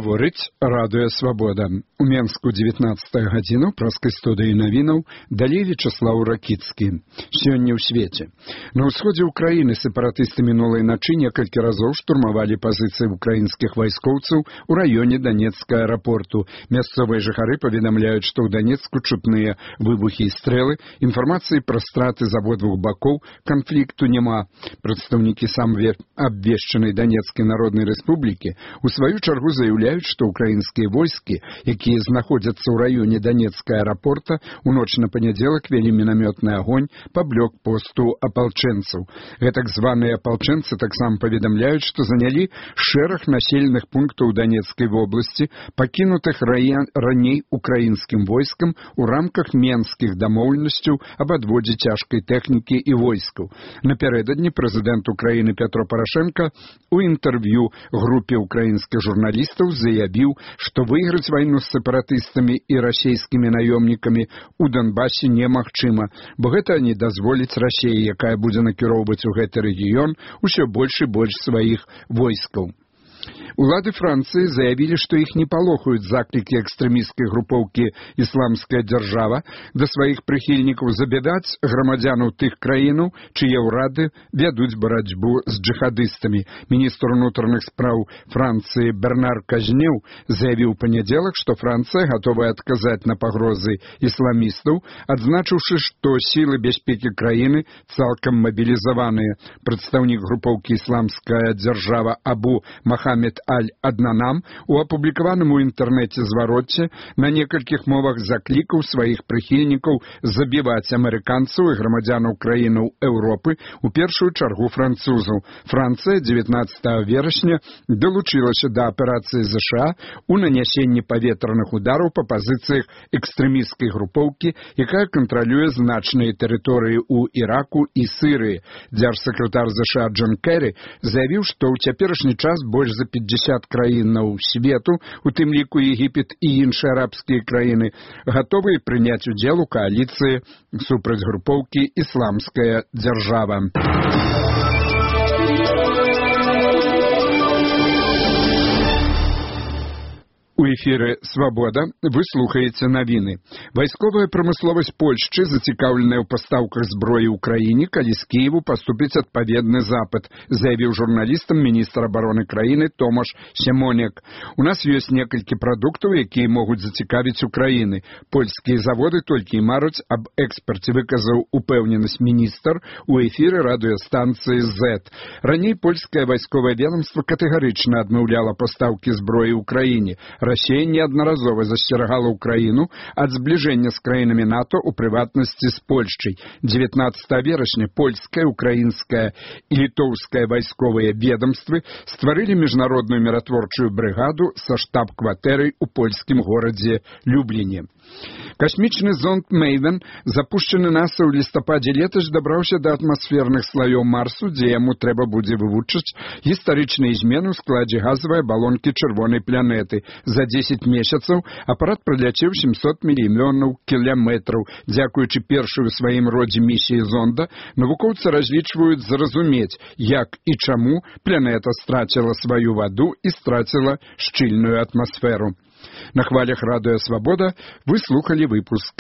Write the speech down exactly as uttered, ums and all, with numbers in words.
Гаворыць радыё Свабода. У Менску дзевятнаццатая гадзіна праз студыі навінаў далей Вячеслаў Ракіцкі. Сёння ў свеце. На ўсходзе ўкраіны сепаратысты мінулай начы некалькі разоў штурмавалі пазіцыі украінскіх вайскоўцаў у раёне Донецкага аэрапорту. Мясцовыя жыхары паведамляюць, што ў Донецку чутныя выбухі і стрэлы. Інфармацыі пра страты з абодвух бакоў канфлікту няма. Прадстаўнікі самве абвешчанай Донецкай народнай рэспублікі у сваю чаргу заяўляюць, што украінскія войскі, якія знаходзяцца ў раёне Донецкага аэрапорта, у ноч на панядзелак вялі мінамётны агонь па блокпосту апалчэнцаў. Гэтак званыя апалчэнцы таксама паведамляюць, што занялі шэраг населеных пунктаў Донецкай вобласці, пакінутых раней украінскім войскам у рамках менскіх дамоўленасцяў аб адводзе цяжкай тэхнікі і войскаў. Напярэдадні прэзідэнт Украіны Петро Порошенко у інтэрв'ю групе украінскіх журналістаў заявіў, што выйграць вайну з сепаратыстамі і расійскімі наёмнікамі у Донбасе немагчыма, бо гэта не дазволіць Расіі, якая будзе накіроўваць у гэты рэгіён усё больш і больш сваіх войскаў. Улады Францыі заявілі, што іх не палохаюць заклікі экстрэмісцкай групоўкі «Ісламская дзяржава» да сваіх прыхільнікаў забядаць грамадзянаў тых краінаў, чые ўрады вядуць барацьбу з джыхадыстамі. Міністр унутраных спраў Францыі Бернар Казнеў заявіў у панядзелак, што Францыя гатовая адказаць на пагрозы ісламістаў, адзначыўшы, што сілы бяспекі краіны цалкам мабілізаваныя. Прадстаўнік групоўкі «Ісламская дзяржава» Абу Махамед Аль-Аднанам у апублікаваным у інтэрнэце звароце на некалькіх мовах заклікаў сваіх прыхільнікаў забіваць амерыканцаў і грамадзянаў краінаў Еўропы, у першую чаргу французаў. Францыя дзевятнаццатага верасня далучылася да аперацыі ЗША у нанясенні паветраных удараў па пазіцыях экстрэмісцкай групоўкі, якая кантралюе значныя тэрыторыі ў Іраку і Сірыі. Дзяржсакратар ЗША Джон Кэрі заявіў, што ў цяперашні час больш за пятьдесят краінаў свету, у тым ліку Егіпет і іншыя арабскія краіны, гатовыя прыняць удзел у кааліцыі супраць групоўкі «Ісламская дзяржава». У эфіры «Свабода» вы слухаеце навіны. Вайсковая прамысловасць Польшчы зацікаўленая ў пастаўках зброі ў краіне, калі з Кіеву паступіць адпаведны запыт, заявіў журналістам міністр абароны краіны Томаш Сямонек. У нас ёсць некалькі прадуктаў, якія могуць зацікавіць Украіны. Польскія заводы толькі і маруць аб экспарце, выказаў упэўненасць міністр у эфіры радыёстанцыі «Зэт». Раней польскае вайсковае ведомства катэгарычна адмаўляла пастаўкі зброі ў краіне. Расія неаднаразова засцерагала ўкраіну ад збліжэння з краінамі НАТО, у прыватнасці з Польшчай. дзевятнаццатага верасня польская, украінская і літоўская вайсковыя ведомствы стварылі міжнародную міратворчую брыгаду са штаб-кватэрай у польскім горадзе Любліне. Касмічны зонд «Мэйвен», запушчаны наса ў лістападзе летась, дабраўся да атмасферных слаёў Марсу, дзе яму трэба будзе вывучыць гістарычныя змены ў складзе газавай абалонкі чырвонай планеты. За дзесяць месяцаў апарат праляцеў сямсот мільёнаў кіламетраў. Дзякуючы першай у сваім родзе місіі зонда, навукоўцы разлічваюць зразумець, як і чаму планета страціла сваю ваду і страціла шчыльную атмасферу. На хвалях радыё Свабода вы слухалі выпуск